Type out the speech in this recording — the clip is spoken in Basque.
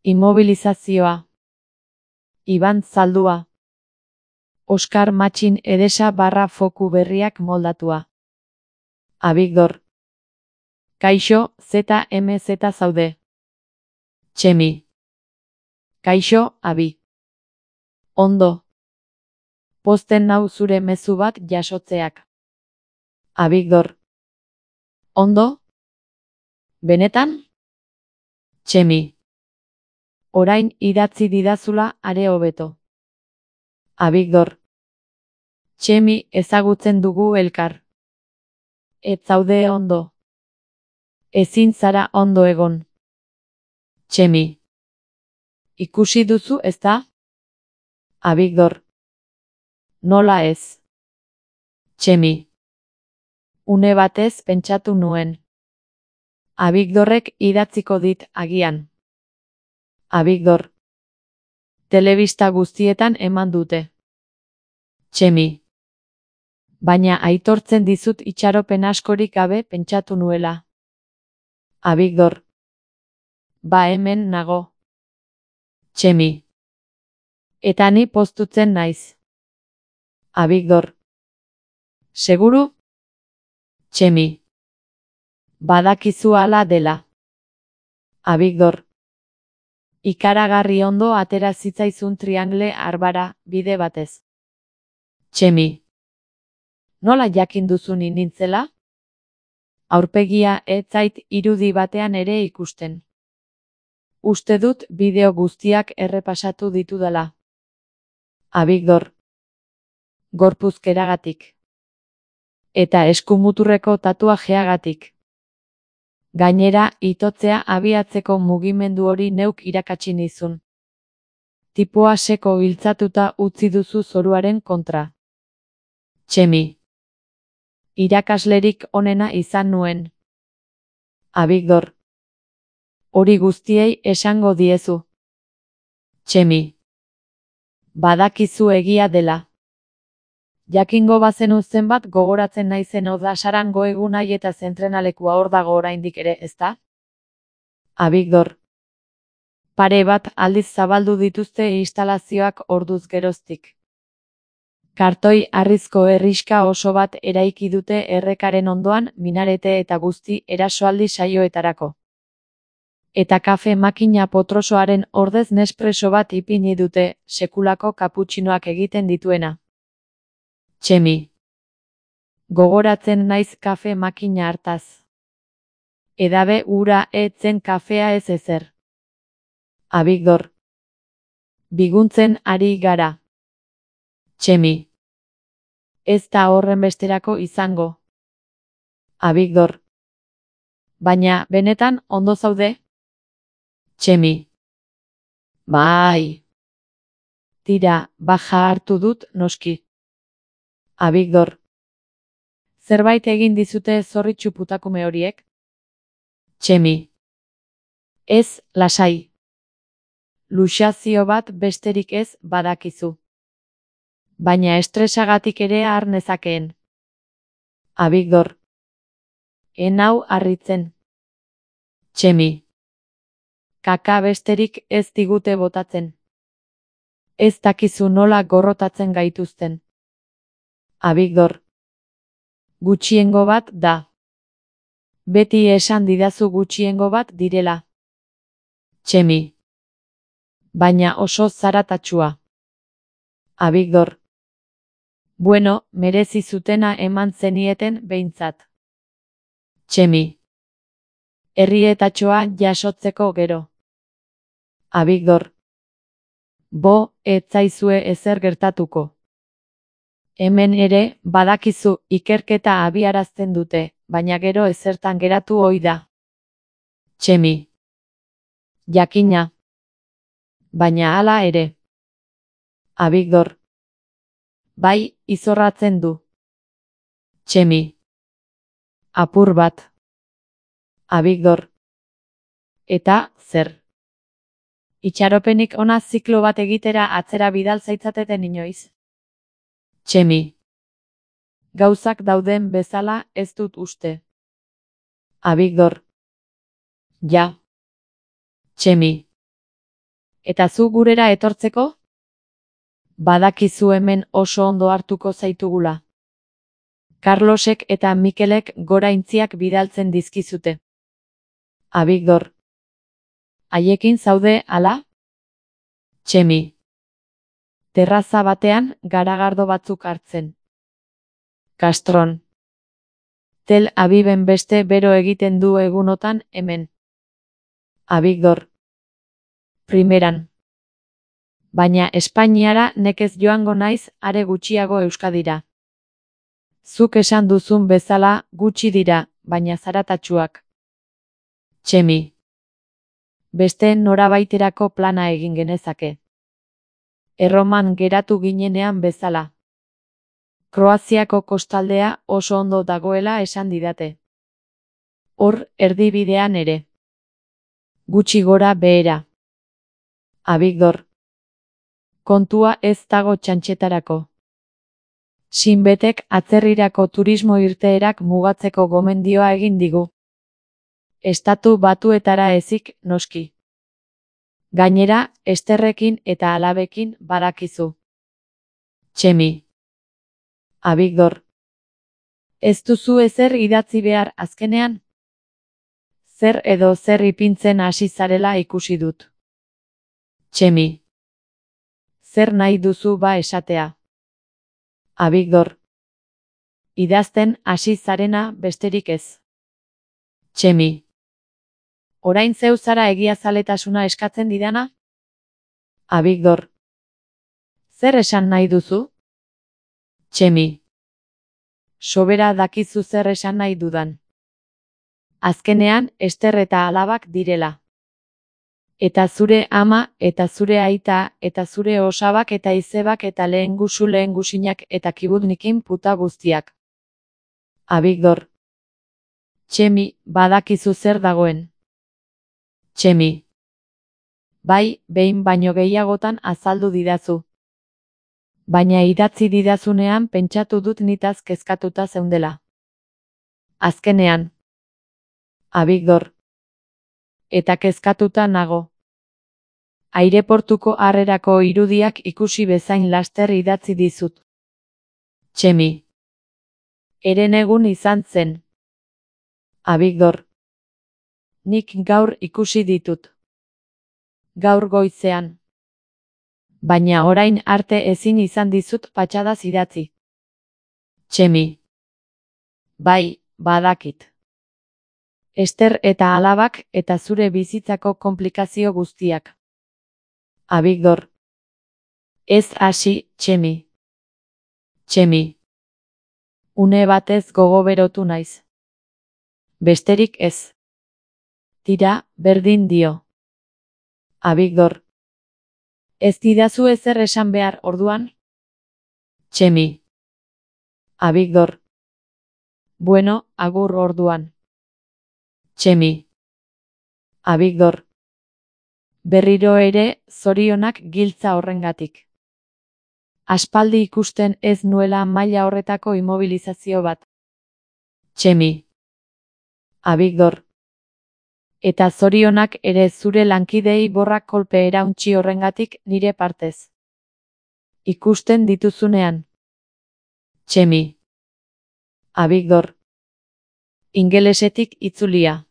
Immobilizazioa. Iban Zaldua. Oskar Matxin Edesa barra foku berriak moldatua. Abigdor. Kaixo, ZMZ zaude. Txemi. Kaixo, Abi. Ondo. Posten nau zure mezu bat jasotzeak. Abigdor. Ondo? Benetan? Txemi. Orain idatzi didazula are hobeto. Abigdor. Txemi, ezagutzen dugu elkar. Ez zaude ondo. Ezin zara ondo egon. Txemi. Ikusi duzu, ezta? Abigdor. Nola ez? Txemi. Une batez pentsatu nuen. Abigdorrek idatziko dit agian. Abigdor. Telebista guztietan eman dute. Txemi. Baina aitortzen dizut itxaropen askorik gabe pentsatu nuela. Abigdor. Ba hemen nago. Txemi. Eta ni poztutzen naiz. Abigdor. Seguru? Txemi. Badakizu hala dela. Abigdor. Ikaragarri ondo atera zitzaizun triangle arbara, bide batez. Txemi. Nola jakin duzu ni nintzela? Aurpegia ez zait irudi batean ere ikusten. Uste dut bideo guztiak errepasatu ditudala. Abigdor. Gorpuzkeragatik. Eta eskumuturreko tatuajeagatik. Gainera, itotzea abiatzeko mugimendu hori neuk irakatsi nizun. Tipoa seko hiltzatuta utzi duzu zoruaren kontra. Txemi. Irakaslerik onena izan nuen. Abigdor. Hori guztiei esango diezu. Txemi. Badakizu egia dela. Jakingo bazenu zenbat gogoratzen naizen Odasarango egunai eta zentrenalekua hor dago oraindik ere, ezta? Abigdor. Pare bat aldiz zabaldu dituzte instalazioak orduz geroztik. Kartoi harrizko herrixka oso bat eraiki dute errekaren ondoan minarete eta guzti erasoaldi saioetarako. Eta kafe makina potrosoaren ordez Nespresso bat ipini dute, sekulako kaputxinoak egiten dituena. Txemi. Gogoratzen naiz kafe makina hartaz. Edabe ura etzen kafea ez ezer. Abigdor. Biguntzen ari gara. Txemi. Ez da horren besterako izango. Abigdor. Baina, benetan, ondo zaude? Txemi. Bai. Tira, baja hartu dut, noski. Abigdor. Zerbait egin dizute zorritxu putakume horiek? Txemi. Ez, lasai. Luxazio bat besterik ez badakizu. Baina estresagatik ere har nezakeen. Abigdor. Enau harritzen. Txemi. Kaka besterik ez digute botatzen. Ez dakizu nola gorrotatzen gaituzten. Abigdor. Gutxiengo bat da. Beti esan didazu gutxiengo bat direla. Txemi. Baina oso zaratatsua. Abigdor. Bueno, merezi zutena eman zenieten behintzat. Txemi. Herrietatxoa jasotzeko gero. Abigdor. Bo, ez zaizue ezer gertatuko. Hemen ere, badakizu, ikerketa abiarazten dute, baina gero ezertan geratu ohi da. Txemi. Jakina. Baina hala ere. Abigdor. Bai, izorratzen du. Txemi. Apur bat. Abigdor. Eta, zer? Itxaropenik ona ziklo bat egitera atzera bidal zaitzateten inoiz. Txemi. Gauzak dauden bezala ez dut uste. Abigdor. Ja. Txemi. Eta zu gurera etortzeko? Badakizu hemen oso ondo hartuko zaitugula. Carlosek eta Mikelek goraintziak bidaltzen dizkizute. Abigdor. Haiekin zaude, ala? Txemi. Terraza batean garagardo batzuk hartzen. Castron. Tel Aviven beste bero egiten du egunotan hemen. Abigdor. Primeran. Baina Espainiara nekez joango naiz, are gutxiago Euskadira. Zuk esan duzun bezala gutxi dira, baina zaratatsuak. Txemi. Beste norabaiterako plana egin genezake. Erroman geratu ginenean bezala. Kroaziako kostaldea oso ondo dagoela esan didate. Hor erdibidean ere. Gutxi gora behera. Abigdor. Kontua ez dago txantxetarako. Sinbetek atzerrirako turismo irteerak mugatzeko gomendioa egin digu. Estatu Batuetara ezik, noski. Gainera, Esterrekin eta alabekin badakizu. Txemi. Abigdor. Ez duzu ezer idatzi behar azkenean? Zer edo zer ipintzen hasi zarela ikusi dut. Txemi. Zer nahi duzu ba esatea? Abigdor. Idazten hasi zarena besterik ez. Txemi. Orain zeu zara egiazaletasuna eskatzen didana? Abigdor. Zer esan nahi duzu? Txemi. Sobera dakizu zer esan nahi dudan. Azkenean, Ester eta alabak direla. Eta zure ama, eta zure aita, eta zure osabak eta izebak eta lehengusinak eta kibudnikin puta guztiak. Abigdor. Txemi, badakizu zer dagoen. Txemi. Bai, behin baino gehiagotan azaldu didazu. Baina idatzi didazunean pentsatu dut nitaz kezkatuta zeundela. Azkenean. Abigdor. Eta kezkatuta nago. Aireportuko harrerako irudiak ikusi bezain laster idatzi dizut. Txemi. Herenegun izan zen. Abigdor. Nik gaur ikusi ditut. Gaur goizean. Baina orain arte ezin izan dizut patxadaz idatzi. Txemi. Bai, badakit. Ester eta alabak eta zure bizitzako konplikazio guztiak. Abigdor. Ez hasi, Txemi. Txemi. Une batez gogoberotu naiz. Besterik ez. Tira, berdin dio. Abigdor. Ez didazu ezer esan behar orduan? Txemi. Abigdor. Bueno, agur orduan. Txemi. Abigdor. Berriro ere, zorionak giltza horrengatik. Aspaldi ikusten ez nuela maila horretako immobilizazio bat. Txemi. Abigdor. Eta zorionak ere zure lankidei borrak kolpe erauntsi horrengatik nire partez. Ikusten dituzunean. Txemi. Abigdor. Ingelesetik itzulia.